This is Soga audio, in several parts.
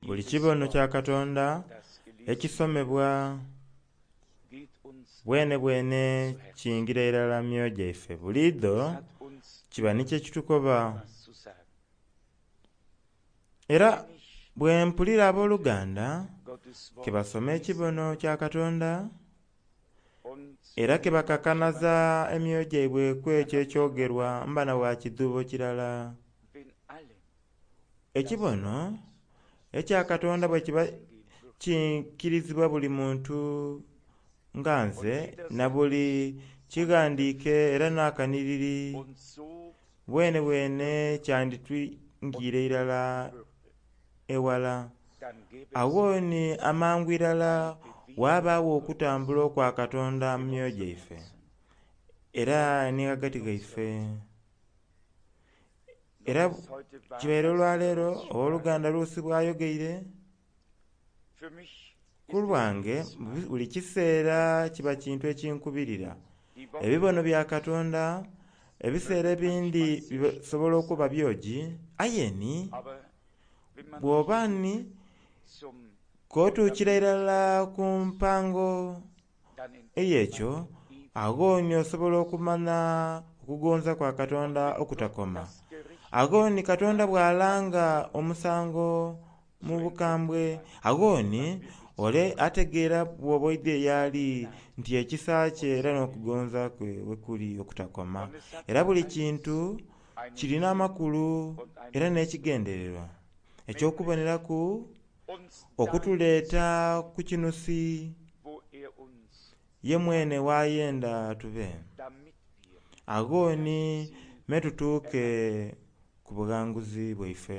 Buli kibono kya Katonda ekisomebwa bwenebwene kiyingira irala mu myoyo gyaife. Buliidho kiba ni kye kitukoba. Era bwe mpulira abooluganda ke basoma ekibono kya Katonda era ke bakakanaza emyoyo gyaibwe ku ekyo ekyogerwa mba na bwa kidhuubo kirala. Ekibono ekya Katonda bwe kiba kiikirizibwa buli muntu nga nze na buli kighandiike era n'akanhiriri, bwenebwene kyanditwingiire irala ewala. Agho ni amangu irala ghabaagho okutambula okwa Katonda mu myoyo gyaife era ni ghagati ghaife. Era kibaire olwaleero owoluganda Luusi bw'ayogeire, ku lwange buli kiseera kiba kintu ekinkubirira. Ebibono bya Katonda ebiseera ebindi bisobola okuba byogi, aye ni bw'oba ni k'otuukira irala ku mpango ey'ekyo, agho ni osobola okumanha okugonza kwa Katonda okutakoma. Agho ni Katonda bw'alanga omusango mu bukambwe, agho ni ole ategeera bw'oba oidhie y'ali nti ekisa kye era n'okugonza kwe bwe kuli okutakoma. Era buli kintu kirina amakulu era n'ekigendererwa eky'okuboneraku okutuleeta ku kinusi ye mwene w'ayenda tube. Agho ni me tutuuke ku bughanguzi bwaife.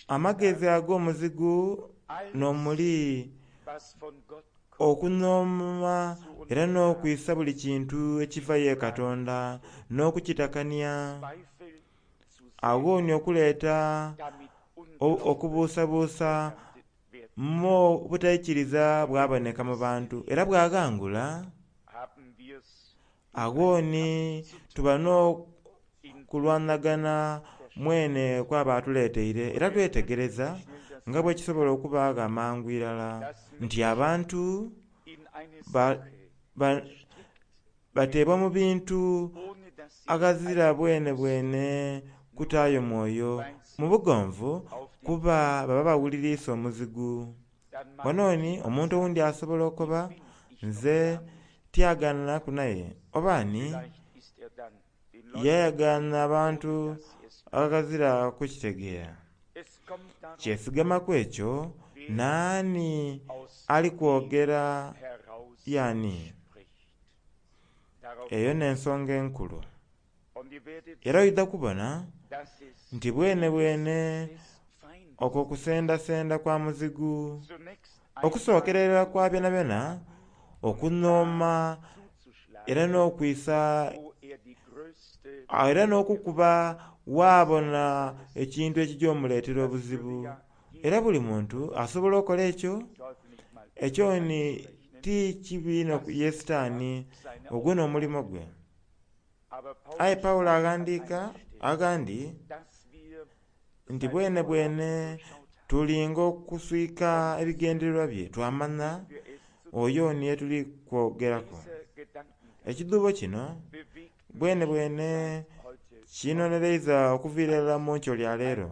Amagezi ag'omuzigu n'omuli okunhooma era n'okwisa buli kintu ekiva ye Katonda n'okukitakania, agho ni okuleeta okubuusabuusa mu obutaikiriza bwaboneka mu bantu era bwaghangula. Agho ni tuba n'okulwanagana mwene kw'aba atuleeteire, era twetegereza nga bwe kisobola okubaagho amangu irala nti abantu bateebwa mu bintu aghazira bwenebwene kutaayo mwoyo mu bugonvu kuba baba bawuliriisa omuzigu. Wano ni omuntu owundi asobola okoba, Nze tyagaananaku naye, oba ni yayagaana abantu aghazira kukitegeera. Kyesigama ku ekyo naani ali kwogera y'ani. Eyo n'ensonga enkulu. Era oidha kubona nti bwenebwene okwo kusendasenda kwa muzigu. Okusookera irala kwa byonabyona, okunhooma era n'okwisa era n'okukuba waabona ekintu ekigya omuleetera obuzibu. Era buli muntu asobola okola ekyo. Ekyo ni ti kibi inho ye Sitaani, ogwo n'omulimo gwe. Aye Paulo aghandiika aghandi nti bwenebwene tulinga okuswika ebigendererwa bye twamanha oyo ni ye tuli kwogeraku. Ekidhuubo kino bwenebwene kinhonereiza okuviira irala mu nkyo lya leero.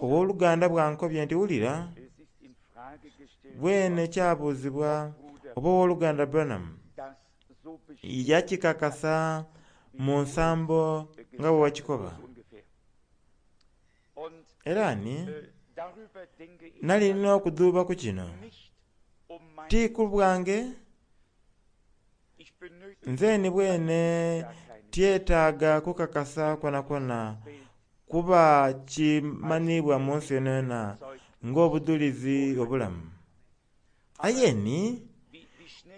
Ow'oluganda bw'ankobye nti wulira, bwene kyabuuzibwa oba Ow'oluganda Branham yakikakasa mu nsambo nga bwe wakikoba. Era ni nali nina okudhuuba ku kino, ti ku bwange, nze ni bwene tyetaaga kukakasa kwonakwona kuba kimanhiibwa mu nsi yonayona ng'obudhulizi obulamu. Aye ni,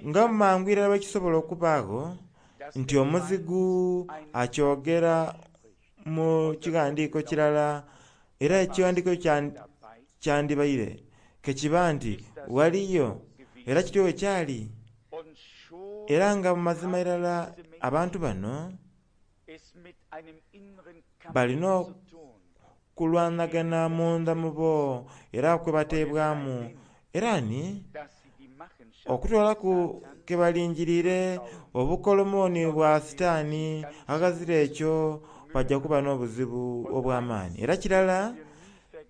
nga mangu irala bwe kisobola okubaagho nti omuzigu akyogera mu kighandiiko kirala, era ekighandiiko kyandibaire ke kiba nti ghaliyo, era kityo bwe kyali. Era nga mu mazima irala abantu bano balina. kulwanagana munda mu bo era kwe bateebwamu. Era ni okutwalaku ke balingiriire obukolomoni bwa Sitaani aghazira ekyo bajja kuba n'obuzibu obw'amaani. Era kirala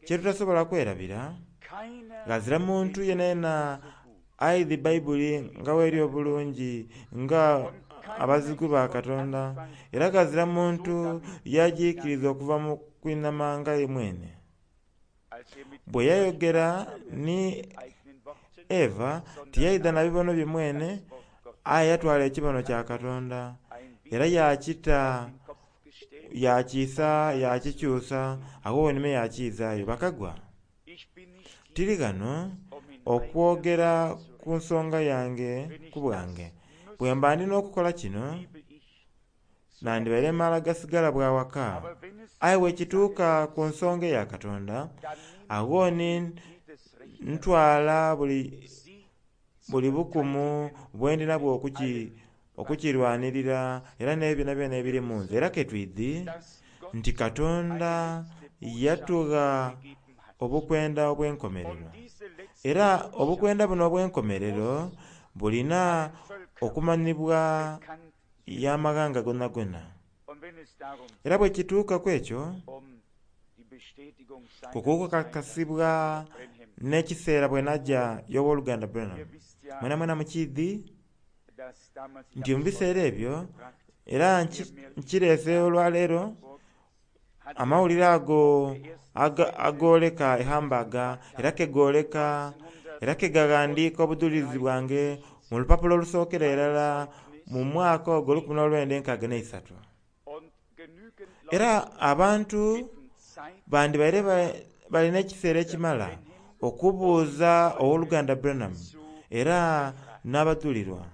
kye tutasobola kwerabira, ghazira muntu yenayena aidhi Baibuli nga bw'eri obulungi nga abazigu ba Katonda, era ghazira muntu yagiikiriza okuva mu kwinhama nga ye mwene. Bwe yayogera ni Eva, tiyaidha na bibono bye mwene, aye yatwala ekibono kya Katonda era yakita, yakiisa, yakikyusa, agho wenime yakiizaayo. Bakagwa, tiri ghano okwogera ku nsonga yange ku bwange. Bwe mba ndi n'okukola kino, nandibaire mala gasigala bwa waka. Aye bwekituuka ku nsonga eya Katonda, agho ni ntwala buli bukumu bwe ndinabwo okukirwanirira era n'ebyo byonabyona ebiri mu nze. Era ke twidhi nti Katonda yatugha obukwenda obw'enkomerero. Era obukwenda buno obw'enkomerero bulina okumanhibwa y'amaghanga gonagona. Era bwe kituuka ku ekyo, ku kukakasibwa n'ekiseera bwe najja y'owoluganda Branham, mwenamwena mukiidhi nti mu biseera ebyo, era nkireese olwaleero, amawulire ago agooleka ehambaga era kegooleka era kegaghandiika obudhulizi bwange mu lupapula olusookera irala mu mwaka ogwo 1963. Era abantu bandibaire balina ekiseera ekimala okubuuza owoluganda Branham era n'abadhulirwa.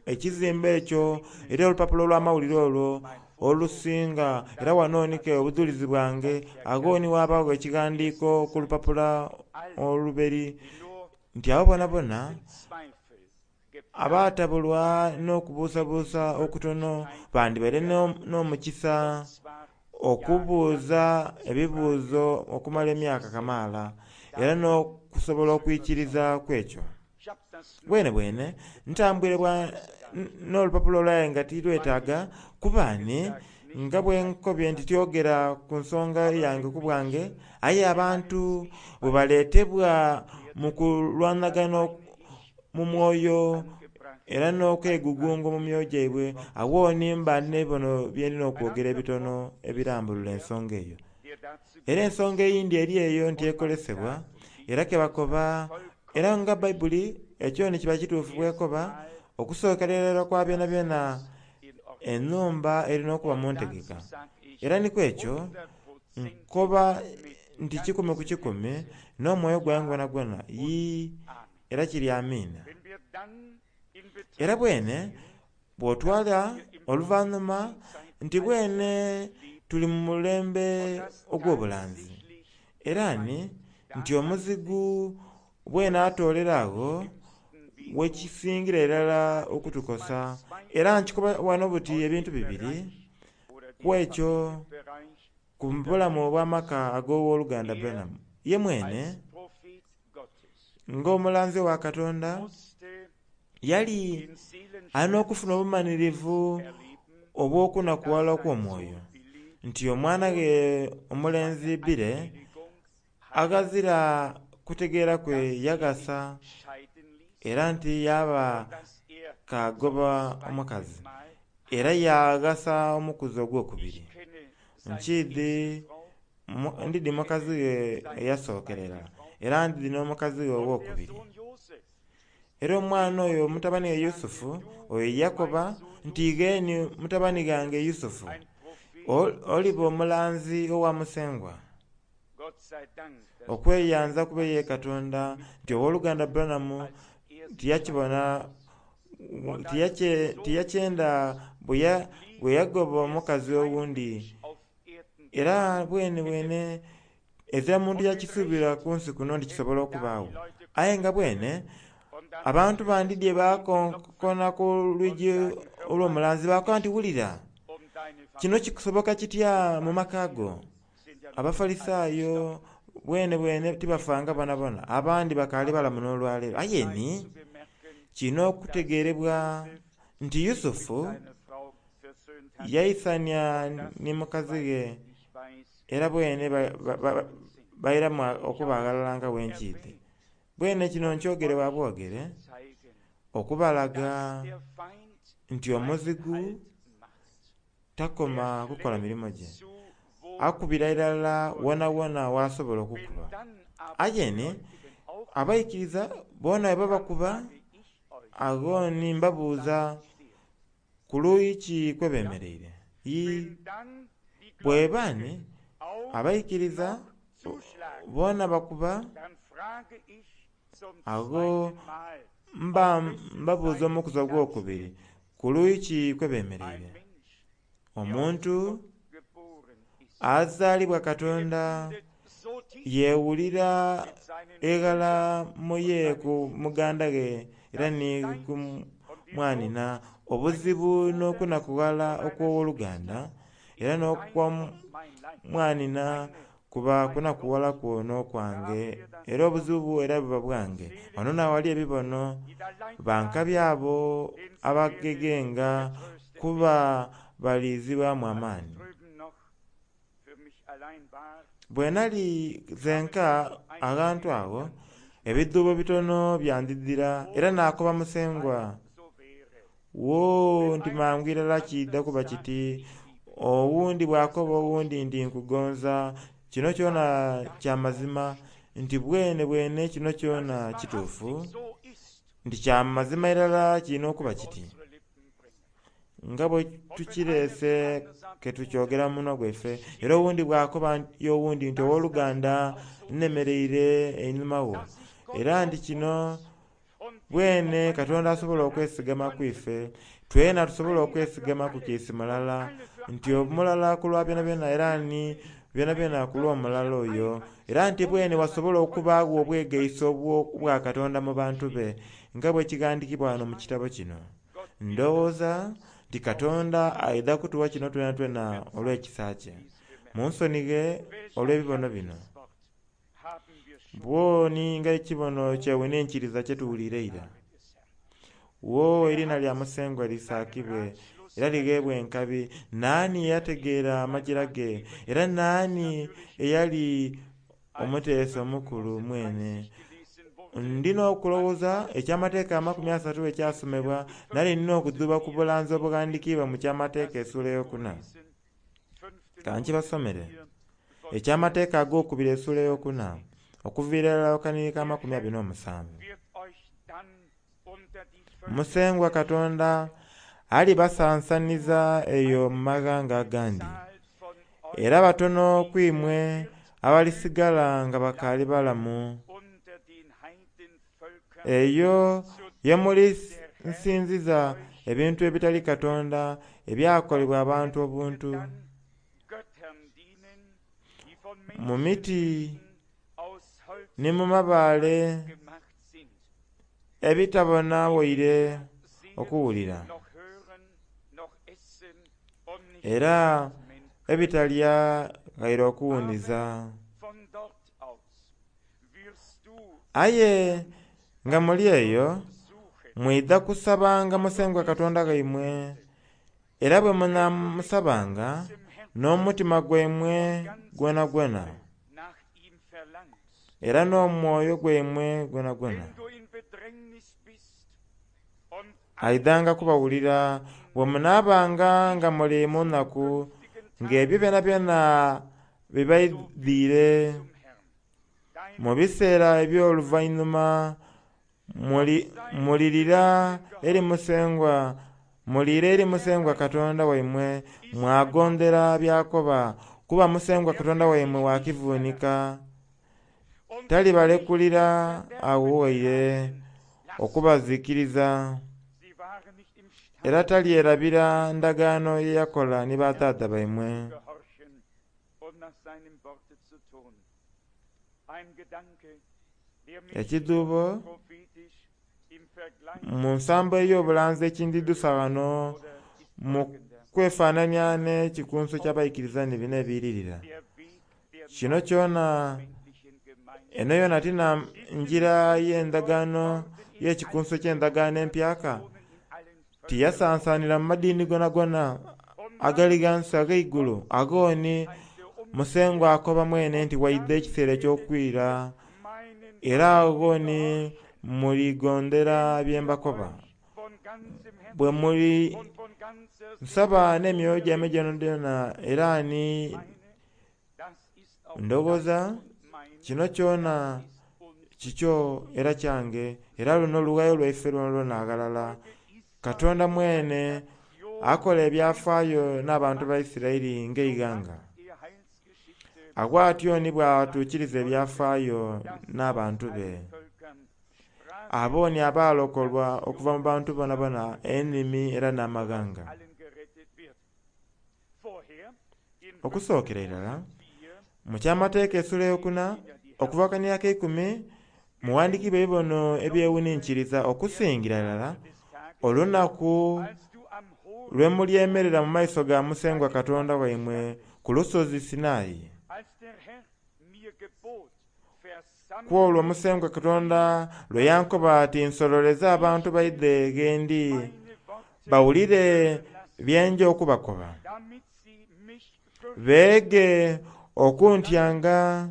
Ekizimbe ekyo era olupapula olw'amawulire olwo olusinga, era wano nike obudhulizi bwange, agho ni ghabagho ekighandiiko ku lupapula oluberi nti abo bonabona abatabulwa n'okubuusabuusa okutono bandibaire n'omukisa okubuuza ebibuuzo okumala emyaka kamaala era n'okusobola okwikiriza ku ekyo. Bwene bwene ntambwire n'olupapula olwaye nga tirwetaaga kuba ni nga bwe nkobye nti tyogera ku nsonga yange ku bwange, aye abantu bwe baleetebwa mu kulwanagana mu mwoyo era n'okwegugunga mu myoyo gyaibwe, agho ni mba n'ebibono bye ndina okwogera ebitono ebirambulula ensonga eyo. Era ensonga eyindi eri eyo nti ekolesebwa era kebakoba, era nga Baibuli ekyo ni kiba kituufu bwekoba, okusookera irala kwa byonabyona ennhumba erina okuba mu ntegeka. Era ni ku ekyo nkoba nti 100 ku 100 n'omwoyo gwange gwonagwona yii era kiri amiina. Era bwene bw'otwala oluvannyuma nti bwene tuli mu mulembe ogw'obulanzi, era ni nti omuzigu bwene atoolera agho wekisingira irala okutukosa. Era nkikoba wano buti ebintu bibiri ku ekyo ku bulamu obw'amaka ag'owoluganda Branham. Ye mwene ng'omulanzi wa Katonda yali alina okufuna obumanhirivu obw'okunakuwala okw'omwoyo nti omwana ghe omulenzi Bire aghazira kutegeera kwe yaghasa era nti yaba kagoba omukazi era yaghasa omukuzi ogwokubiri. Nkiidhi ndidhi mukazi we eyasookerera era ndidhi n'omukazi we owokubiri. Era omwana oyo mutabani we Yusufu oyo yakoba nti igheni mutabani ghange Yusufu, oliba omulanzi owa Musengwa. Okweyanza kube ye Katonda nti owoluganda Branham tiyakibona, tiyakyenda bwe yagoba omukazi owundi. Era bwene bwene ezira muntu yakisuubira ku nsi kuno nti kisobola okubaagho. Aye nga bwene abantu bandidye bakonkona ku lwigi olw'omulanzi bakoba nti wulira, Kino kikusoboka kitya mu maka go? Abafalisaayo bwene bwene tibafanga bonabona, abandi bakaali balamu n'olwaleero. Aye ni kirina okutegeerebwa nti Yusufu yaisania ni mukazi ghe era bwene bairamu okuba aghalala nga bwe nkiidhi. Bwene kino nkyogere bwa bwogere okubalaga nti omuzigu takoma kukola mirimo gye, akubira irala wonawona w'asobola okukuba. Aye ni abaikiriza boona bwe babakuba, agho ni mbabuuza ku luuyi ki kwe bemereire. Ii, bweba ni abaikiriza boona bakuba, agho mba mbabuuza omukuzi ogwokubiri ku luuyi ki kwe bemereire. Omuntu azaalibwa Katonda yeewulira eghala muye ku muganda ghe era ni ku mwanhina obuzibu n'okunakughala okw'owoluganda era n'okw'omwanhina kuba kunakughala kwo n'okwange era obuzibu era buba bwange. Wano n'aghali ebibono bankabi abo abagegenga kuba balizibwamu amaani. Bwe nali zenka aghantu agho, ebidhuubo bitono byandidhira era naakoba Musengwa, woo nti mangu irala kiidha kuba kiti owundi bw'akoba owundi nti nkugonza, kino kyona kya mazima nti bwene bwene kino kyona kituufu, nti kya mazima irala kirina okuba kiti. Nga bwe tukireese ke tukyogera mu munwa gwaife, era owundi bw'akoba y'owundi nti ow'oluganda nnemereire einhuma wo, era nti kino bwene Katonda asobola okwesigama ku ife, twena tusobola okwesigama ku kiisi mulala, nti omulala ku lwa byonabyona era ni byonabyona ku lw'omulala oyo, era nti bwene wasobola okubaagho obwegaiso obwa Katonda mu bantu be, nga bwe kighandiikibwa wano mu kitabo kino. Ndowooza nti Katonda aidha kutuwa kino twenatwena olw'ekisa kye. Munsonighe olw'ebibono bino. Bw'oni nga ekibono kyewuninkiriza kye tuwuliire eira. Wo eriina lya Musengwa lisaakibwe era ligheebwe enkabi. Naani eyategeera amajira ge, era naani eyali omuteesa omukulu mwene? Ndi n'okulowooza eky'Amateeka 30 ekyasomebwa, nali nina okudhuuba ku bulanzi obughandiikiibwa mu Kyamateeka essuula eyokuna. Ka nkibasomere. Eky'Amateeka ag'okubiri essuula eyokuna, okuviira irala ku kanhiriri ka 27. Musengwa Katonda alibasansaniza eyo mu maghanga agandi, era batono ku imwe abalisigala nga bakaali balamu. Eyo ye mulisinziza ebintu ebitali Katonda ebyakolebwa abantu obuntu, mu miti ni mu mabaale ebitabona waire okuwulira, era ebitalya ghaire okuwuniza. Aye nga muli eyo, mwidha kusabanga Musengwa Katonda waimwe, era bwe munaamusabanga n'omutima gwaimwe gwonagwona, era n'omwoyo gwaimwe gwonagwona, aidhanga kubawulira bwe munaabanga nga muli mu nnaku, ng'ebyo byonabyona bibaidhiire. Mu biseera eby'oluvainhuma mulirira eri Musengwa, mulire eri Musengwa Katonda waimwe mwagondera by'akoba, kuba Musengwa Katonda waimwe wa kivuunika. Talibalekulira agho waire okubazikiriza, era talyerabira ndagaano ye yakola ni badhaadha baimwe. Ekidhuubo mu nsambo ey'obulanzi ekindidhusa ghano mu kwefaanania n'ekikunsu eky'abaikiriza ni bino ebiiririra. Kino kyona eno yona ti na ngira y'endagaano y'ekikunsu eky'endagaano empyaka? Tiyasansaanira mu madiini gonagona agali ghansi agh'eigulu? Agho ni Musengwa akoba mwene nti waidha ekiseera eky'okwira, era agho ni muligondera bye mbakoba. Bwe muli nsaba n'emyoyo gyaimwe gyonagyona era ni ndowooza kino kyona kikyo era kyange, era luno lughayo lwaife lwonalwona aghalala. Katonda mwene akola ebyafaayo n'abantu ba Isiraeli ng'eighanga. Agho atyo ni bw'atuukiriza ebyafaayo n'abantu be. Abo ni abaalokolwa okuva mu bantu boonaboona, enimi era n'amaghanga. Okusookera irala, mu Kyamateeka esula eyokuna, okuva ku kanhiriri akeikumi, mughandiikiibwa ebibono ebyewuninkiriza okusingira irala olunaku lwe mulyemerera mu maiso ga Musengwa Katonda waimwe ku lusozi Sinai. Ku olwo Musengwa Katonda lwe yankoba ati nsololeze abantu baidhe ghe ndi, bawulire bye nja okubakoba. Beege okuntyanga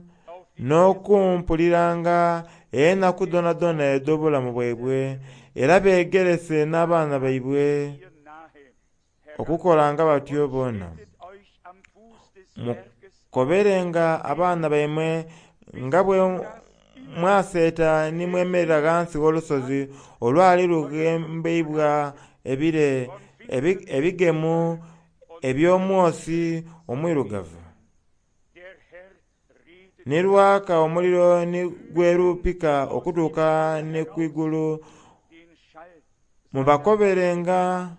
n'okumpuliranga enaku dhoonadhoona edh'obulamu bwaibwe, era beegerese n'abaana baibwe okukolanga batyo boona. Mukoberenga abaana baimwe nga bwe mwaseeta ni mwemerera ghansi gh'olusozi olwali lughembeibwa ebire ebigemu eby'omwosi omwirugavu, ni lwaka omuliro ni gwerupika okutuuka ni ku igulu. Mubakoberenga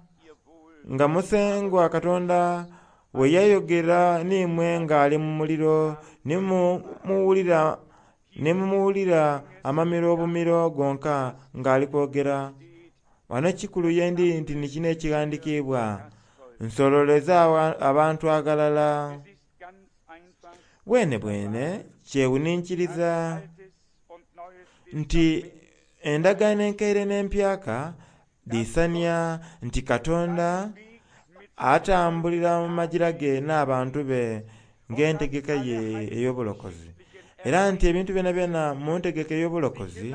nga Musengwa Katonda bwe yayogera n'imwe ng'ali mu muliro, ni mumuwulira amamiro bumiro gonka ng'ali kwogera. Ghano ekikulu ye ndi nti ni kino ekighandikiibwa, Nsololeza abantu aghalala. Bwenebwene kyewuninkiriza nti endagaano enkaire n'empyaka dhiisania nti Katonda atambulira mu magira ge n'abantu be ng'entegeka ye ey'obulokozi. Era nti ebintu byonabyona mu ntegeka ey'obulokozi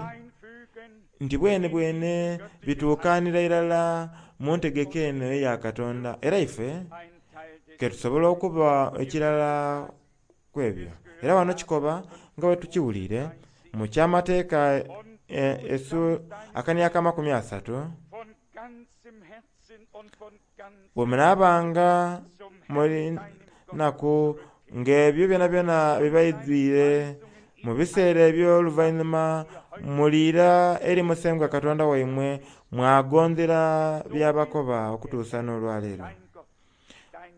nti bwenebwene bituukaanira irala mu ntegeka eno eya Katonda. Era ife ke tusobola okuba ekirala ku ebyo. Era ghano kikoba nga bwe tukiwuliire mu Kyamateeka akania ak'amakumi asatu, Bwe munaabanga muli naku ng'ebyo byonabyona bibaidhwire, mu biseera eby'oluvainhuma muliira eri Musengwa Katonda waimwe mwagondera by'abakoba okutuusa n'olwaleero.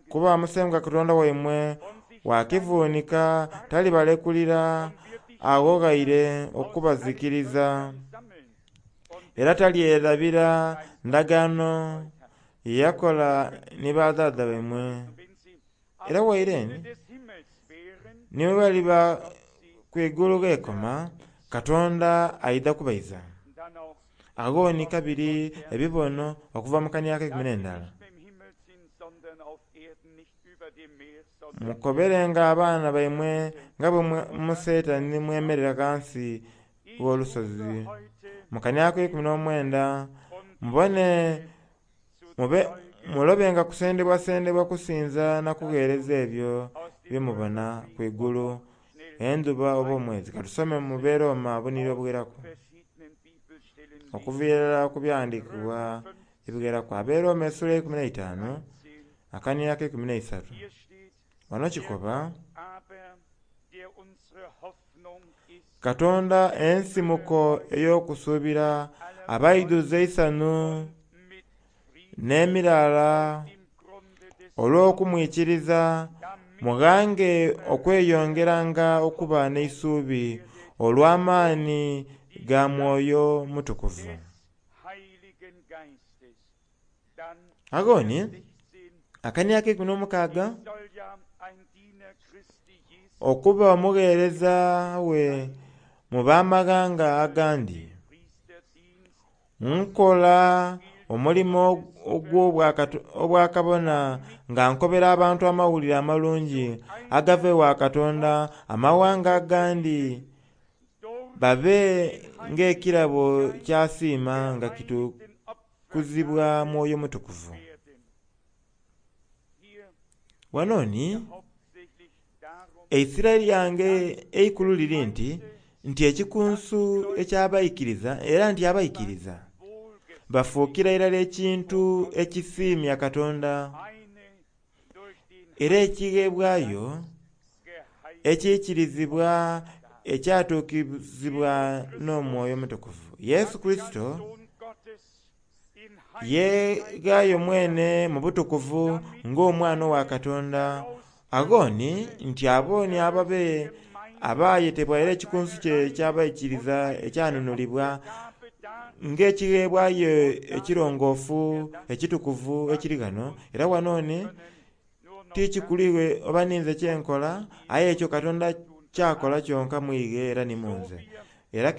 Kuba Musengwa Katonda waimwe wa kivuunika talibalekulira agho ghaire okubazikiriza. Era talyerabira ndagaano ye yakola ni badhaadha baimwe. Era waire ni bwe baliba ku igulu gh'ekoma, Katonda aidha kubaiza. Agho ni kabiri ebibono okuva mu kania akeikumi n'endala. Mukoberenga abaana baimwe nga bwe museeta ni mwemerera ghansi gh'olusozi mu kania ak'eikumi n'omwenda, mubone mube mulobenga kusendebwasendebwa kusinza na kugheereza ebyo bye mubona ku igulu, endhuba oba omwezi. Ka tusome mu Beroma obunhiriri obugheraku okuviira irala ku byaghandiikibwa ebigheraku. Aberoma esula eyeikumi n'eitaanu akania ak'eikumi n'eisatu. Ghano kikoba, Katonda ensimuko ey'okusuubira abaidhuze eisanhu n'emiraala olw'okumwikiriza, mughange okweyongeranga okuba n'eisuubi olw'amaani ga Mwoyo Mutukuvu. Agho ni, Akania akeikumi n'omukaaga, okuba omugheereza we mu bamaghanga agandi, nkola omulimo ogw'obwakabona nga nkobera abantu amawulire amalungi agava ewa Katonda, amawanga agandi babe ng'ekirabo ky'asiima nga kitukuzibwa Mwoyo Mutukuvu. Wano ni eisira lyange eikulu liri nti ekikunsu eky'abaikiriza era nti abaikiriza bafuukira irala ekintu ekisiimya Katonda era ekigheebwayo ekiikirizibwa ekyatuukizibwa n'Omwoyo Omutukuvu. Yesu Kurisito yeeghaayo mwene mu butukuvu ng'Omwana owa Katonda, agho ni nti abo ni ababe abaayetebwa era ekikunsu kye eky'abaikiriza ekyanunulibwa ng'ekigheebwayo ekirongoofu, ekitukuvu ekiri ghano. Era wano ni tikikulighe oba ninze kyenkola, aye ekyo Katonda kyakola kyonka mwighe era ni munze. Era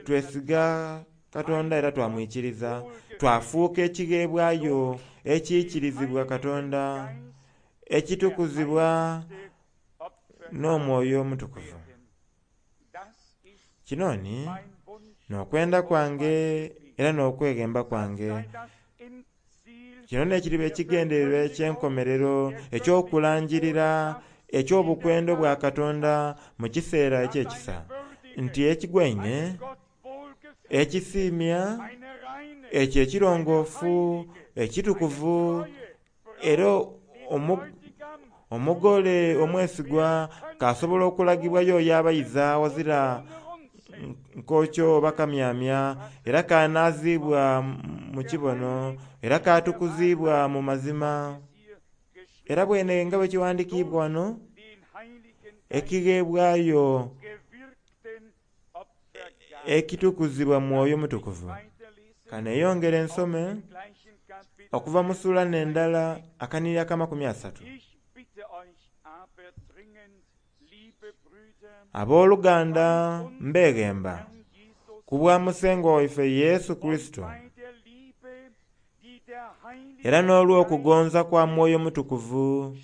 twesiga Katonda era twamwikiriza, twafuuka ekigheebwayo ekiikirizibwa Katonda, ekitukuzibwa n'Omwoyo Omutukuvu. Kino ni n'okwenda kwange era n'okweghemba kwange. Kino n'ekiriba ekigendererwa eky'enkomerero eky'okulangirira eky'obukwenda bwa Katonda mu kiseera eky'ekisa, nti ekigwaine, ekisiimya, ekyo ekirongoofu, ekitukuvu, era omugole omwesigwa k'asobola okulagibwa y'oyo abayiza ghazira nkokyo oba kamyamya, era k'anaaziibwa mu kibono, era k'atukuzibwa mu mazima. Era bwene nga bwe kiwandikiibwa wano, ekigheebwayo ekitukuzibwa Mwoyo Mutukuvu. Kaneyongere nsome okuva mu sula n'endala akanhiriri ak'amakumi asatu. Abooluganda mbeghemba ku bwa Musengwa waife Yesu Kurisito era n'olw'okugonza kwa Mwoyo Mutukuvu,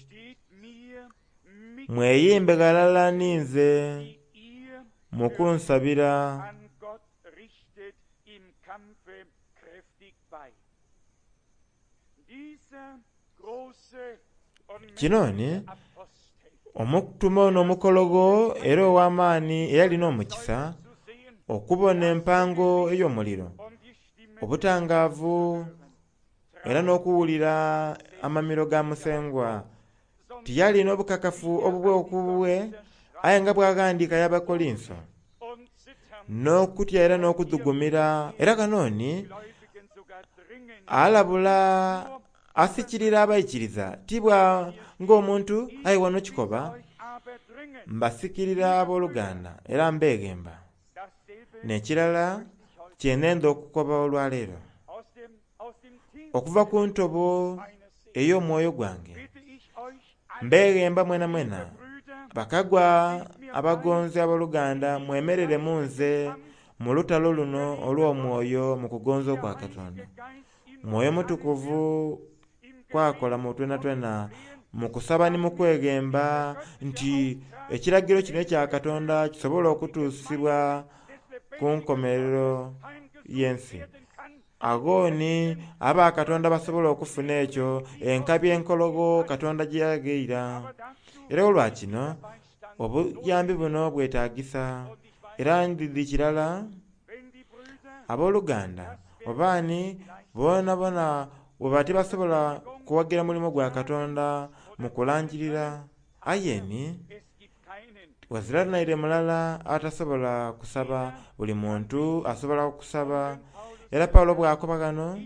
mweyimbe ghalala ninze mu kunsabira. Kino ni omutume ono omukologho era ow'amaani eyali n'omukisa okubona empango ey'omuliro, obutangaavu era n'okuwulira amamiro ga Musengwa. Tiyali n'obukakafu obubwe ku bubwe, aye nga bw'aghandiika y'Abakolinso, n'okutya era n'okudhugumira. Era ghano ni alabula asikirira abaikiriza ti bwa ng'omuntu aye wano kikoba mbasikirira abooluganda era mbeghemba. N'ekirala kye nenda okukoba olwaleero, okuva ku ntobo ey'omwoyo gwange, mbeghemba mwenamwena bakagwa abagonzi abooluganda mwemerere mu nze mu lutalo luno olw'omwoyo mu kugonza okwa Katonda. Mwoyo Mutukuvu kwakola mu twenatwena mu kusaba ni mu kweghemba nti ekiragiro kino ekya Katonda kisobole okutuusibwa ku nkomerero y'ensi. Agho ni aba Katonda basobola okufuna ekyo enkabi enkologho Katonda gye yaghaira. Era olwa kino obuyambi buno bwetagisa. Era ndidhi kirala abooluganda oba ni bonabona bwebaba tibasobola kuwagira mulimo gwa Katonda mu kulangirira, aye ni ghazira naire mulala atasobola kusaba, buli muntu asobola okusaba. Era Paulo bw'akoba ghano,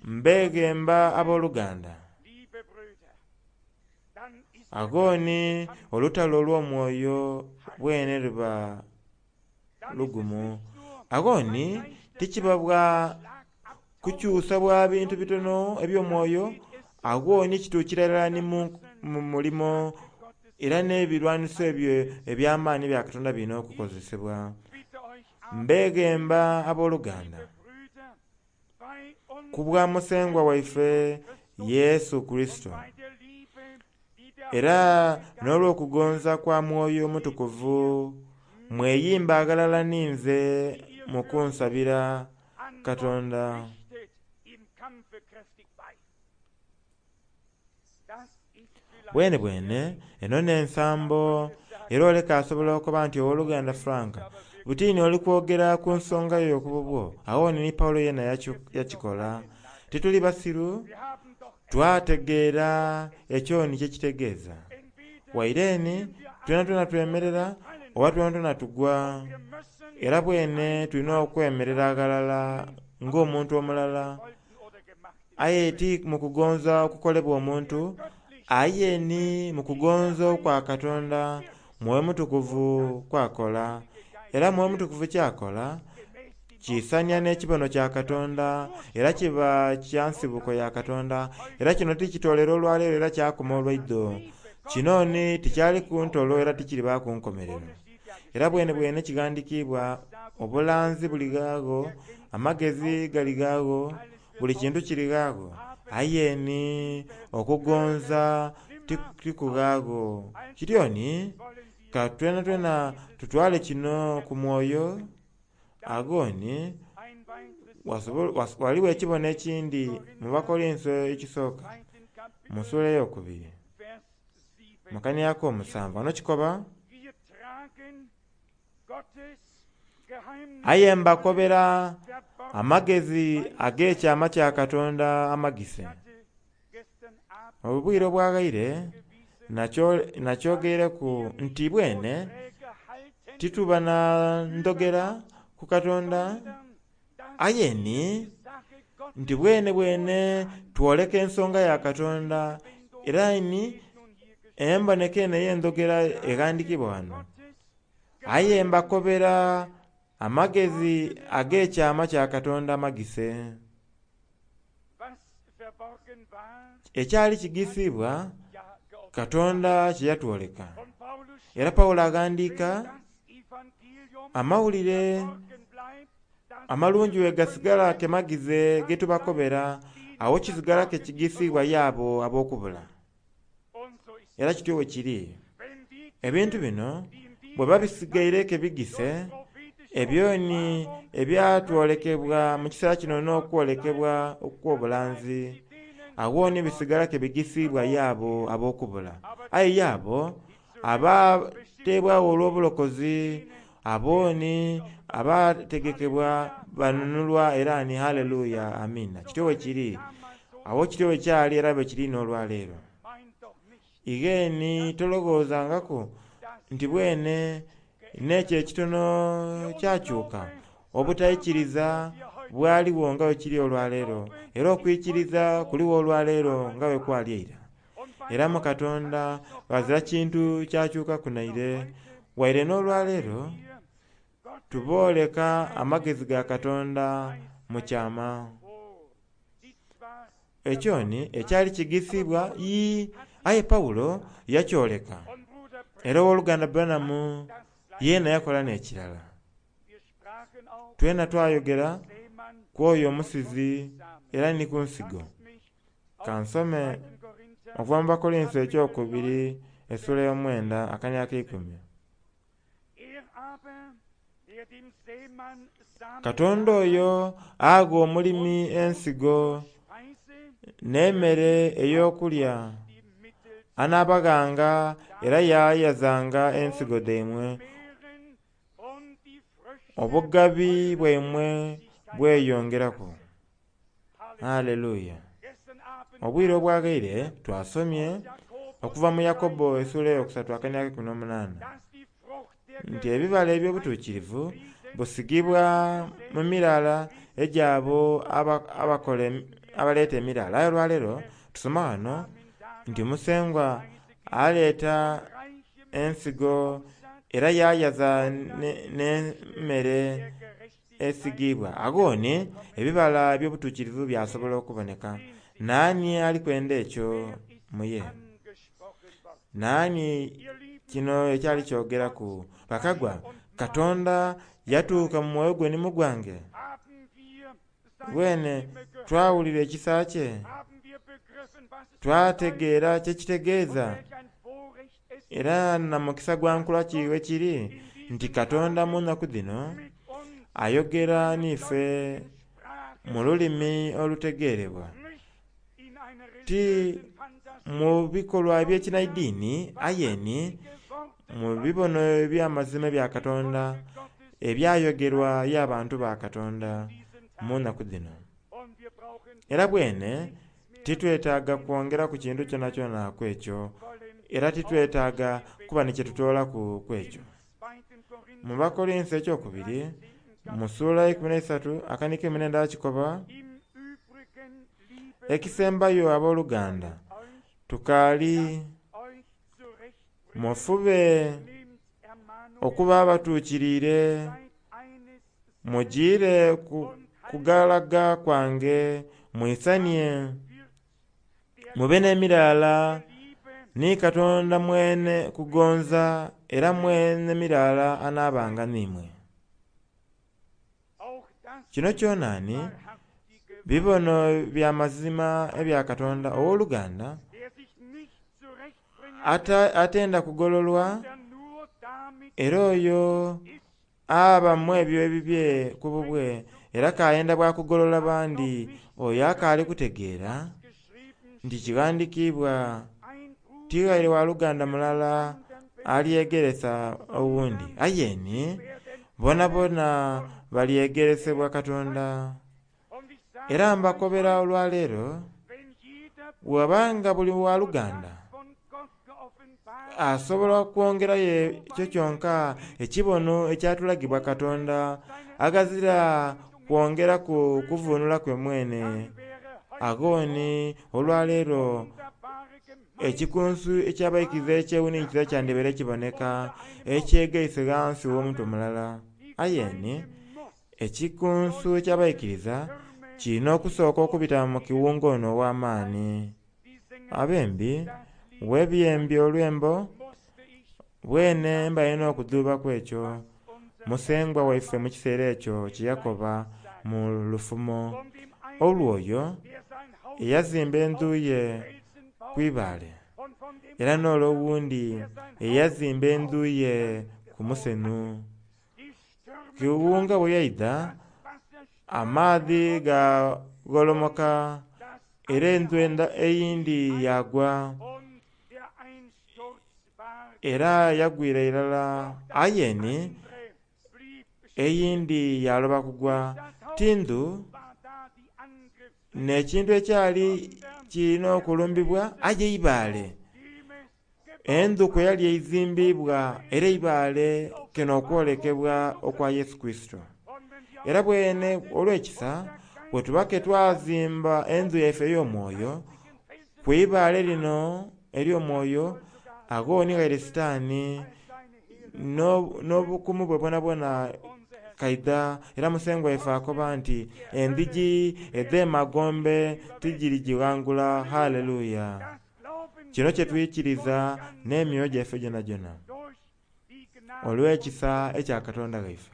mbeghemba abooluganda. Agho ni olutalo olw'omwoyo bwene luba lugumu. Agho ni tikiba bwa kukyusa bwa bintu bitono eby'omwoyo, Agho ni kituukira irala ni mu mulimo era n'ebirwaniso ebyo eby'amaani ebya Katonda birina okukozesebwa. Mbeeghemba abooluganda, ku bwa Musengwa waife Yesu Kurisito, era n'olw'okugonza kwa Mwoyo Mutukuvu, mweyimbe aghalala ninze mu kunsabira Katonda. Bwenebwene eno n'ensambo era oleka asobola okuba nti ow'oluganda Frank, butini oli kwogera ku nsonga yo ku bubwo. Agho ni Pawulo yena yakikola. Tituli basiru, twategeera ekyo ni kyekitegeeza. Waire ni twenatwena twemerera oba twenatwena tugwa, era bwene tulina okwemerera aghalala ng'omuntu omulala. Aye ti mu kugonza okukolebwa omuntu, aye ni mu kugonza okwa Katonda Mwoyo Mutukuvu kw'akola. Era Mwoyo Mutukuvu ky'akola kiisania n'ekibono kya Katonda, era kiba kya nsibuko ya Katonda. Era kino tikitoolera olwaleero era kyakoma olwaidho. Kino ni tikyaliku ntolo era tikiribaaku nkomerero. Era bwenebwene kighandikiibwa, obulanzi buli ghagho, amagezi gali ghagho, buli kintu kiri ghagho. Aye ni okugonza tikughagho. Kityo ni ka twenatwena tutwale kino ku mwoyo. Agho ni ghaligho ekibono ekindi mu Bakolinso ekisooka mu sula eyokubiri mu kania ak'omusanvu. Ghano kikoba, Aye mbakobera amagezi ag'ekyama kya Katonda amagise. Obwire obwaghaire nakyogeireku nti bwene tituba na ndhogera ku Katonda, aye ni nti bwenebwene twoleka ensonga ya Katonda era ni emboneka eno ey'endhogera eghandhikiibwa ghano. Aye mbakobera amagezi ag'ekyama kya Katonda amagise. Ekyali kigisiibwa Katonda kye yatwoleka. Era Pawulo aghandiika, amawulire amalungi bwe gasigala ke magize ge tubakobera, agho kisigala ke kigisiibwa y'abo ab'okubula. Era kityo bwe kiri. Ebintu bino bwe babisigaire ke bigise, ebyo ni ebyatwolekebwa mu kiseera kino n'okwolekebwa okw'obulanzi, agho ni bisigala ke bigisiibwa y'abo ab'okubula. Aye y'abo abateebwagho olw'obulokozi, abo ni abategekebwa banunulwa era ni haleluya, amiina. Kityo bwe kiri. Agho kityo bwe kyali era bwe kiri n'olwaleero. Ighe ni tolowoozangaku nti bwene n'ekyo ekitono kyakyuka. Obutaikiriza bwaligho nga bwe kiri olwaleero, era okwikiriza kuligho olwaleero nga bwe kwali eira. Era mu Katonda ghazira kintu kyakyukaku naire. Waire n'olwaleero tubooleka amagezi ga Katonda mu kyama. Ekyo ni ekyali kigisiibwa yii, aye Pawulo yakyoleka. Era ow'oluganda Branham yeena yakola n'ekirala. Twena twayogera ku oyo omusizi era ni ku nsigo. Ka nsome okuva mu Bakolinso ekyokubiri esula ey'omwenda akania ak'eikumi. Katonda oyo agha omulimi ensigo n'emere ey'okulya, anaabaghanga era yaayazanga ensigo dhaimwe, obugabi bwaimwe bweyongeraku. Haleluya! Obwire obwaghaire twasomye okuva mu Yakobo esula eyokusatu akania ak'eikumi n'omunaana nti ebibala eby'obutuukirivu busigibwa mu mirala egy'abo abakola abaleeta emirala. Aye olwaleero tusoma ghano nti Musengwa aleeta ensigo era yaayaza n'emmere esigiibwa. Agho ni ebibala eby'obutuukirivu byasobola okuboneka. Naani ali kwenda ekyo mu ye? Naani kino ekyali kyogeraku? Bakagwa, Katonda yatuuka mu mwoyo gwe ni mu gwange. Bwene twawulira ekisa kye, twategeera kye kitegeeza, era na mukisa gwa nkula ki we kiri nti Katonda mu nnaku dhino ayogera n'ife mu lulimi olutegeerebwa, ti mu bikolwa eby'ekinaidiini aye ni mu bibono eby'amazima ebya Katonda ebyayogerwa y'abantu ba Katonda mu nnaku dhino. Era bwene titwetaaga kwongera ku kintu kyonakyona ku ekyo, era titwetaaga kuba ni kye tutoolaku ku ekyo. Mu Bakorinso ekyokubiri mu ssuula 13 akanika 14 kikoba, ekisembayo abooluganda tukaali mufube okuba abatuukiriire, mujiire ku kugalaga kwange mwisanie, mube n'emiraala ni Katonda mwene kugonza era mwene miraala anaabanga n'imwe. Kino kyonaani bibono bya mazima ebya Katonda owooluganda atenda kugololwa, era oyo aba mu ebyo ebibye ku bubwe era kayenda bwa kugolola bandi, oyo akaali kutegeera nti kighandikiibwa tighaire waluganda mulala alyegeresa owundi, aye ni bonabona balyegeresebwa Katonda. Era mbakobera olwaleero, bw'abanga buli waluganda asobola okwongerayo ekyo kyonka ekibono ekyatulagibwa Katonda aghazira kwongeraku kuvunula kwe mwene, agho ni olwaleero ekikunsu eky'abaikiriza ekyewuninkiriza kyandibere kiboneka ekyegaise ghansi w'omuntu mulala. Aye ni ekikunsu eky'abaikiriza kirina okusooka okubita mu kiwunga ono ow'amaani. Abembi webyembye olwembo bwene mbalina okudhuubaku ekyo Musengwa waife mu kiseera ekyo kye yakoba mu lufumo olw'oyo eyazimba endhu ye ku ibaale, era n'olw'owundi eyazimba endhu ye ku musenu. Kiwunga bwe yaidha, amaadhi gagolomoka era endhu eyindi yagwa, era yagwira irala. Aye ni eyindi yaloba kugwa. Ti ndhu n'ekintu ekyali kirina okulumbibwa aye ibaale. Endhu kwe yali eizimbibwa era eibaale keno okwolekebwa okwa Yesu Kurisito. Era bwene olw'ekisa bwe tuba ke twazimba endhu yaife ey'omwoyo ku ibaale lino ery'omwoyo, agho ni ghaire Sitaani n'obukumu bwe bwonabwona kaidha. Era Musengwa waife akoba nti endhigi edh'emagombe tigirigighangula. Haleluya! Kino kye twikiriza n'emyoyo gyaife gyonagyona olw'ekisa ekya Katonda waife.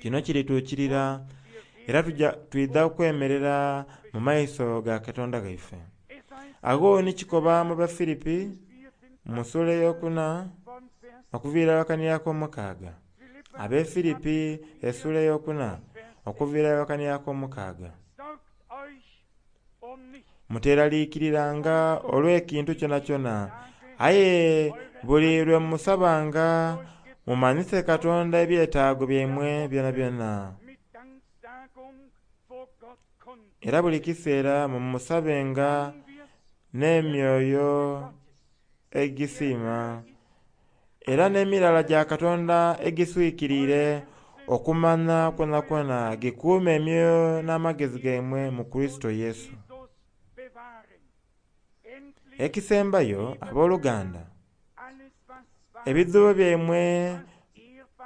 Kino kirituukirira era twidha kwemerera mu maiso ga Katonda waife. Agho ni kikoba mu Bafilipi mu ssuula ey'okuna okuviira ghakani ak'omukaaga. Ab'e Filipi essuula ey'okuna okuviira ghakani ak'omukaaga. Muteeraliikiriranga olw'ekintu kyonakyona, aye buli lwe musabanga mumanhise Katonda ebyetaago byaimwe byonabyona. Era buli kiseera mumusabenga n'emyoyo egisiima, era n'emirala gya Katonda egiswikiriire okumanha kwonakwona gikuume emyoyo n'amagezi gaimwe mu Kurisito Yesu. Ekisembayo abooluganda, ebidhuubo byaimwe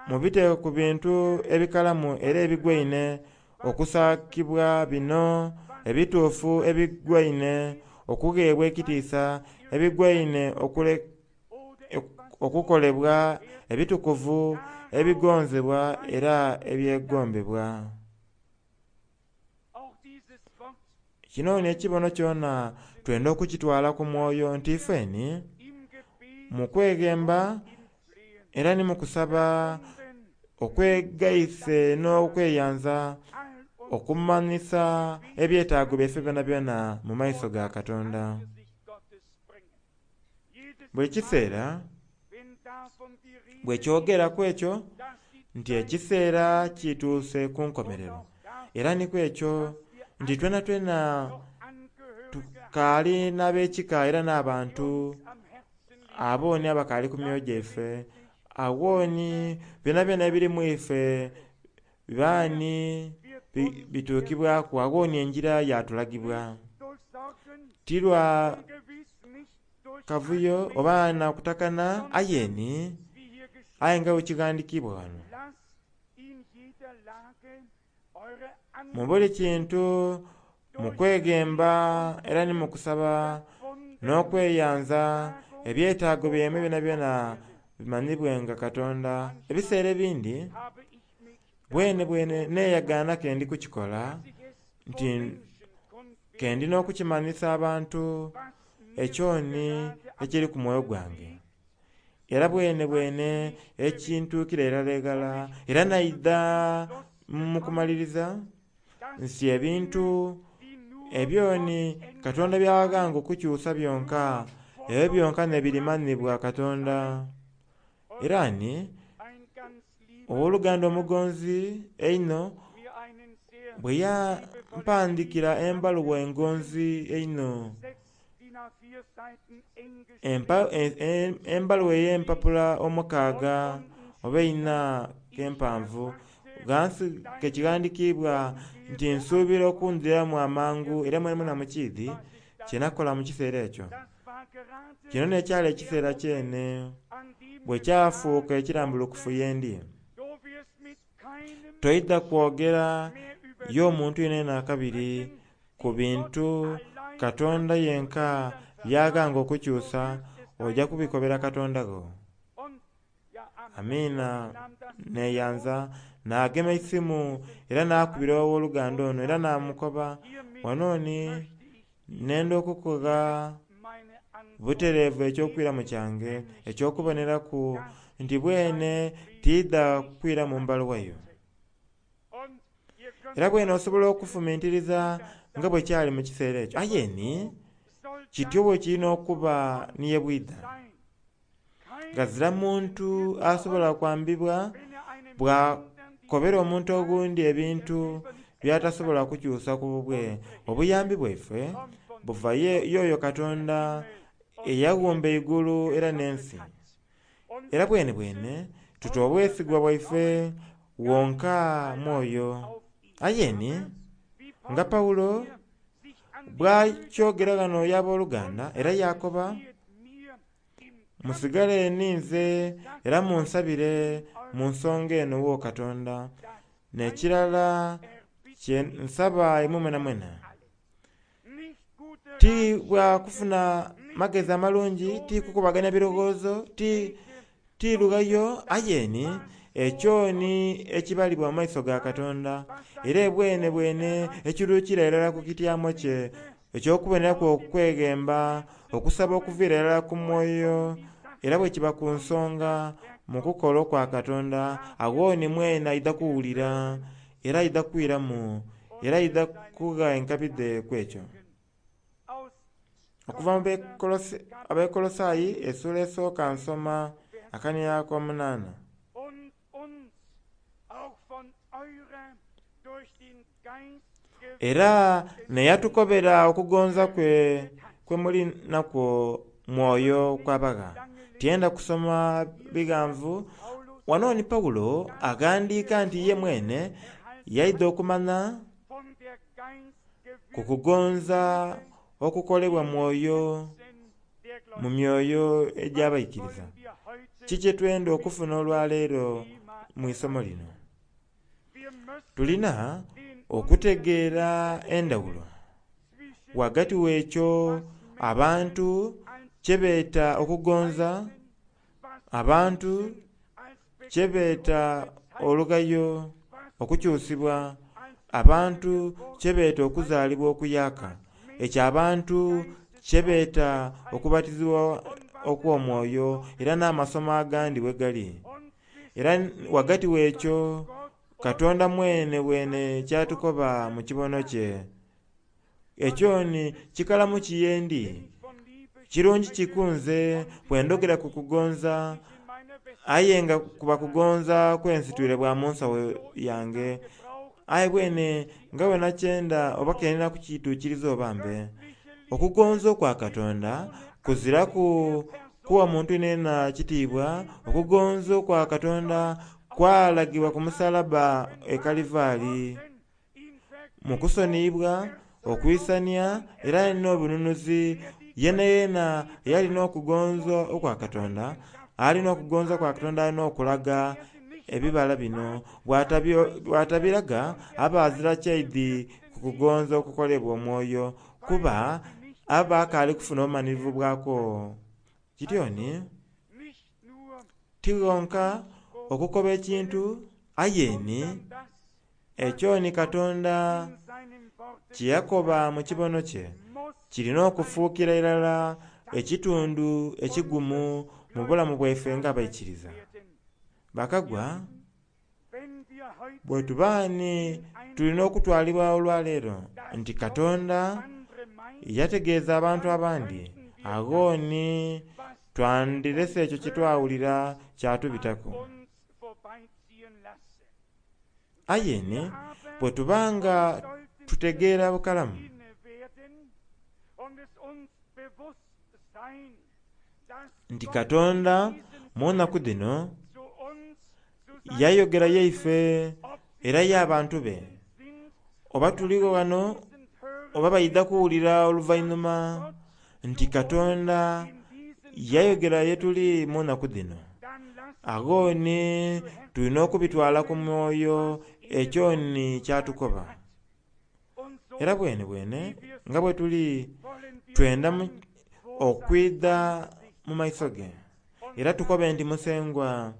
mubiteeke ku bintu ebikalamu era ebigwaine okusaakibwa bino ebituufu ebigwaine okugheebwa ekitiisa, ebigwaine okukolebwa, ebitukuvu, ebigonzebwa era ebyegombebwa. Kino n'ekibono kyona twenda okukitwala ku mwoyo nti ifeni mu kweghemba era ni mu kusaba okwegaise n'okweyanza okumanhisa ebyetaago byaife byonabyona mu maiso ga Katonda. Buli kiseera bwe kyogeraku ekyo nti ekiseera kituuse ku nkomerero, era ni ku ekyo nti twenatwena tukaali n'ab'ekika era n'abantu abooni abakaali ku myoyo gyaife, awooni byonabyona ebiri mu ife baani bituukibwaku, awooni engira yatulagibwa. Ti lwa kavuyo oba na kutakana aye ni aye nga bwe kighandikiibwa ghano. Mu buli kintu mu kweghemba era ni mu kusaba n'okweyanza ebyetaago byaimwe byonabyona bimanhibwenga Katonda. Ebiseera ebindi bwene bwene neeyagaana ke ndi kukikola nti ke ndi n'okukimanhisa abantu ekyoni ekiri ku mwoyo gwange. Era bwene bwene ekintuukira irala eghala era naidha mu kumaliriza nsi ebintu ebyoni Katonda by'aghanga okukyusa byonka, ebyo byonka n'ebirimanhibwa Katonda. Era ni ow'oluganda omugonzi einho bwe yampandikira embaluwa engonzi einho, embaluwa ey'empapula omukaaga oba eina k'empanvu, ghansi ke kighandikiibwa nti nsuubira okundhiramu amangu era mwenamwena mukiidhi kye nakola mu kiseera ekyo. Kino n'ekyali ekiseera kyene bwe kyafuuka ekirambulukufu ye ndi. Toidha kwogera y'omuntu yenayena akabiri ku bintu Katonda yenka by'aghanga okukyusa, oja kubikobera Katonda gho. Amiina neeyanza naagema eisimu era naakubira ow'oluganda ono era naamukoba, wano ni nenda okukugha butereevu eky'okwiramu kyange eky'okuboneraku nti bwene tiidha kwiramu mbaluwa yo. Era bwene osobola okufumintiriza nga bwe kyali mu kiseera ekyo. Aye ni kityo bwe kiri n'okuba ni ye bwidha. Ghazira muntu asobola kwambibwa bw'akobera omuntu oghundi ebintu by'atasobola kukyusa ku bubwe. Obuyambi bwaife buva y'oyo Katonda eyaghumba eigulu era n'ensi. Era bwenebwene tuta obwesigwa bwaife wonka mu oyo. Aye ni nga Paulo bw'akyogera ghano y'aboluganda era yaakoba, musigale ninze era munsabire mu nsonga eno wo Katonda. N'ekirala kye nsaba imwe mwenamwena, ti bwa kufuna magezi amalungi, ti kukubagania birowoozo, ti lughayo, aye ni ekyo ni ekibalibwa mu maiso ga Katonda, era ebwenebwene ekiruukira irala ku kityamo kye eky'okuboneraku okweghemba, okusaba okuviira irala ku mwoyo, era bwe kiba ku nsonga mu kukola okwa Katonda, agho ni mwene aidha kuwulira era aidha kwiramu era aidha kugha enkabi dhe ku ekyo. Okuva mu Abekolosaayi essuula esooka nsoma akaniya ak'omunaana. Era n'eyatukobera okugonza kwe kwe muli nakwo Mwoyo kw'abagha. Tiyenda kusoma bighanvu. Wano ni Paulo aghandiika nti ye mwene yaidha okumanha ku kugonza okukolebwa Mwoyo mu myoyo egy'abaikiriza. Kiki kye twenda okufuna olwaleero mu isomo lino? Tulina okutegeera endhawulo. ghagati gh'ekyo abantu kye beeta okugonza, abantu kye beeta olugayo, okukyusibwa, abantu kye beeta okuzaalibwa okuyaaka, ekyo abantu kye beeta okubatizibwa okw'omwoyo, era n'amasomo agandi bwe gali. Era ghagati gh'ekyo Katonda mwene bwene kyatukoba mu kibono kye. Ekyo ni kikalamu ki yendi, kirungi ki ku nze bwe ndhogera ku kugonza aye nga kuba kugonza kwensitwire bwa mu nsawo yange, aye bwene nga bwe nakyenda oba ke ndina kukituukiriza oba mbe. Okugonza okwa Katonda kuziraku kuwa muntu yenayena kitiibwa, okugonza okwa Katonda kwalagibwa ku musalabba e Kalivaali mu kusoniyibwa, okwisania era n'obununuzi. Yenayena eyali n'okugonza okwa Katonda, alina okugonza kwa Katonda alina okulaga ebibala bino. Bw'atabiraga aba azira kyaidhi ku kugonza okukolebwa omwoyo, kuba aba akaali kufuna bumanhirivu bwakwo. Kityo ni ti ghonka okukoba ekintu aye ni ekyo ni Katonda kye yakoba mu kibono kye kirina okufuukira irala ekitundu ekigumu mu bulamu bwaife nga abaikiriza. Bakagwa, bwe tuba ni tulina okutwalibwa olwaleero nti Katonda yategeeza abantu abandi, agho ni twandirese ekyo kye twawulira kyatubitaku. Aye ni bwe tuba nga tutegeera bukalamu nti Katonda mu nnaku dhino yayogera yaife era y'abantu be, oba tuligho ghano oba baidha kuwulira oluvainhuma nti Katonda yayogera ye tuli mu nnaku dhino, agho ni tulina okubitwala ku mwoyo ekyo ni kyatukoba. Era bwenebwene nga bwe tuli twenda okwidha mu maiso ge, era tukobe nti Musengwa,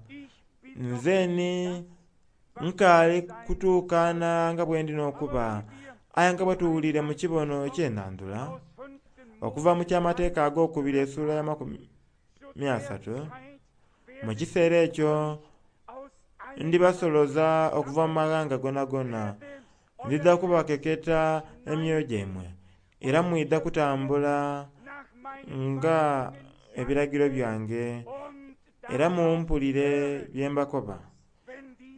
nze ni nkaali kutuukaana nga bwe ndi n'okuba, aye nga bwe tuwuliire mu kibono eky'enhandhula, okuva mu ky'Amateeka Agokubiri esula y'amakumi asatu, mu kiseera ekyo ndibasoloza okuva mu maghanga gonagona, ndidha kubakeketa emyoyo gyaimwe, era mwidha kutambula nga ebiragiro byange, era mumpulire bye mbakoba.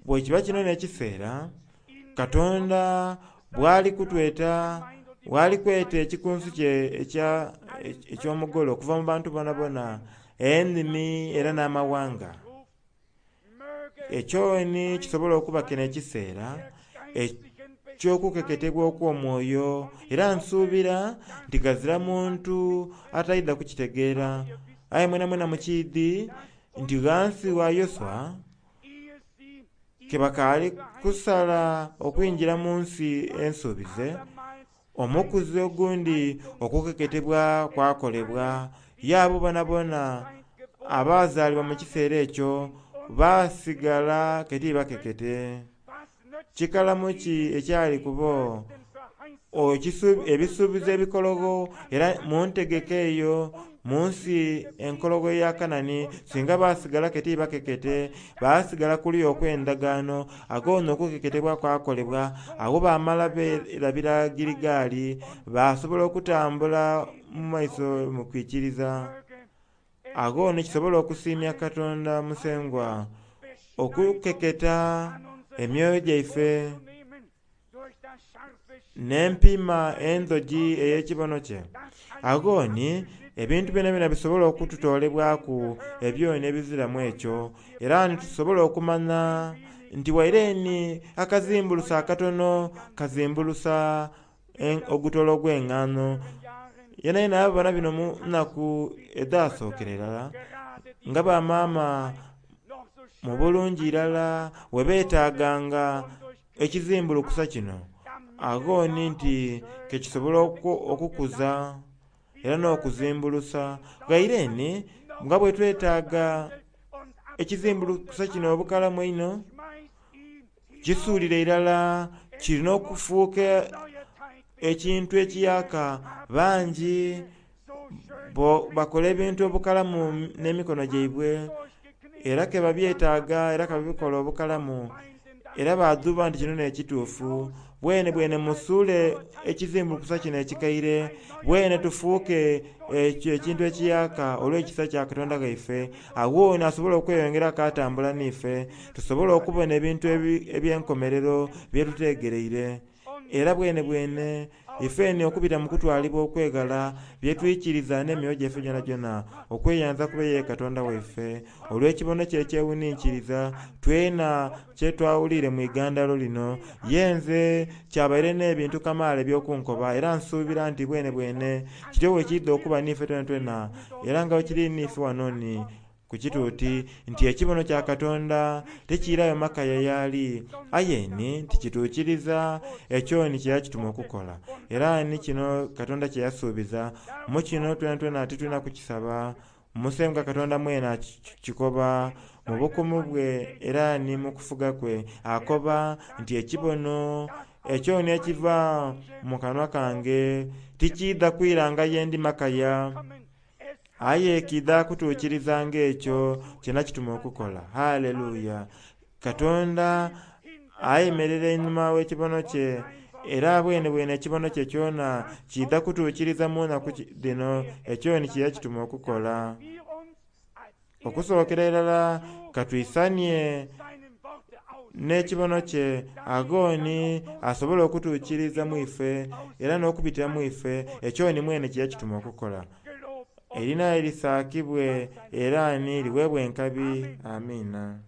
Bwe kiba kino n'ekiseera, Katonda bw'ali kutweta, bw'ali kweta ekikunsu kye eky'omugole okuva mu bantu boonaboona, enimi era n'amawanga. Ekyo ni kisobola okuba kino ekiseera eky'okukeketebwa okw'omwoyo, era nsuubira nti ghazira muntu ataidha kukitegeera. Aye mwenamwena mukiidhi nti ghansi gha Yoshua ke bakaali kusala okwingira mu nsi ensuubize, omukuzi ogundi okukeketebwa kwakolebwa, ye abo boonaboona abaazaalibwa mu kiseera ekyo baasigala ke tibakekete. Kikalamu ki ekyali ku bo? Ebisuubizo ebikologho era mu ntegeka eyo mu nsi enkologho eya Kanani, singa baasigala ke tibakekete, baasigala kuliya okw'endagaano, agho nno okukeketebwa kwakolebwa. Agho baamala beerabira Giligali, baasobola okutambula mu maiso mu kwikiriza. Agho ni kisobole okusiimya Katonda Musengwa okukeketa emyoyo gyaife n'empiima endhogi ey'ekibono kye. Agho ni ebintu byonabyona bisobole okututoolebwaku ebyoni ebiziramu ekyo, era ni tusobola okumanha nti waire ni akazimbulusa akatono kazimbulusa ogutolo ogw'engaano. Yenayena yabona bino mu nnaku edhasookera irala, nga bamaama mu bulungi irala bwe beetaaganga ekizimbulukusa kino. Agho ni nti kekisobola okukuza era n'okuzimbulusa. Ghaire ni nga bwe twetaaga ekizimbulukusa kino obukalamu einho, kisuulire irala kirina okufuuka ekintu ekiyaka. Bangi bakola ebintu obukalamu n'emikono gyaibwe era ke babyetaaga era ke babikola obukalamu era badhuuba nti kino n'ekituufu. Bwene bwene musuule ekizimbulukusa kino ekikaire, bwene tufuuke ekyo ekintu ekiyaka olw'ekisa kya Katonda ghaife. Agho ni asobola okweyongeraku atambula n'ife, tusobole okubona ebintu eby'enkomerero bye tutegereire. Era bwene bwene ife ni okubita mu kutwalibwa okweghala bye twikiriza n'emyoyo gyaife gyonagyona, okweyanza kube ye Katonda waife olw'ekibono kye ekyewuninkiriza twena kye twawulire mu igandalo lino. Ye nze kyabaire n'ebintu kamaala eby'okunkoba, era nsuubira nti bwene bwene kityo bwe kiidha okuba n'ife twenatwena, era nga bwe kiri n'ife wano ni ku kituuti, nti ekibono kya Katonda tikiirayo makaya y'ali, aye ni nti kituukiriza ekyo ni kye yakituma okukola. Era ni kino Katonda kye yasuubiza. Mu kino twenatwena titulina kukisaba. Musengwa Katonda mwene akikoba mu bukumu bwe era ni mu kufuga kwe. Akoba nti ekibono ekyo ni ekiva mu kanwa kange tikiidha kwiranga ye ndi makaya, aye kiidha kutuukirizanga ekyo kye nakituma okukola. Haleluya! Katonda ayemerera einhuma w'ekibono kye, era bwene bwene ekibono kye kyona kiidha kutuukiriza mu naku dhino ekyo ni kye yakituma okukola. Okusookera irala katwisanie n'ekibono kye, agho ni asobole okutuukiriza mu ife era n'okubitira mu ife ekyo ni mwene kye yakituma okukola. Erina erisaakibwe era ni liweebwe enkabi. Amiina.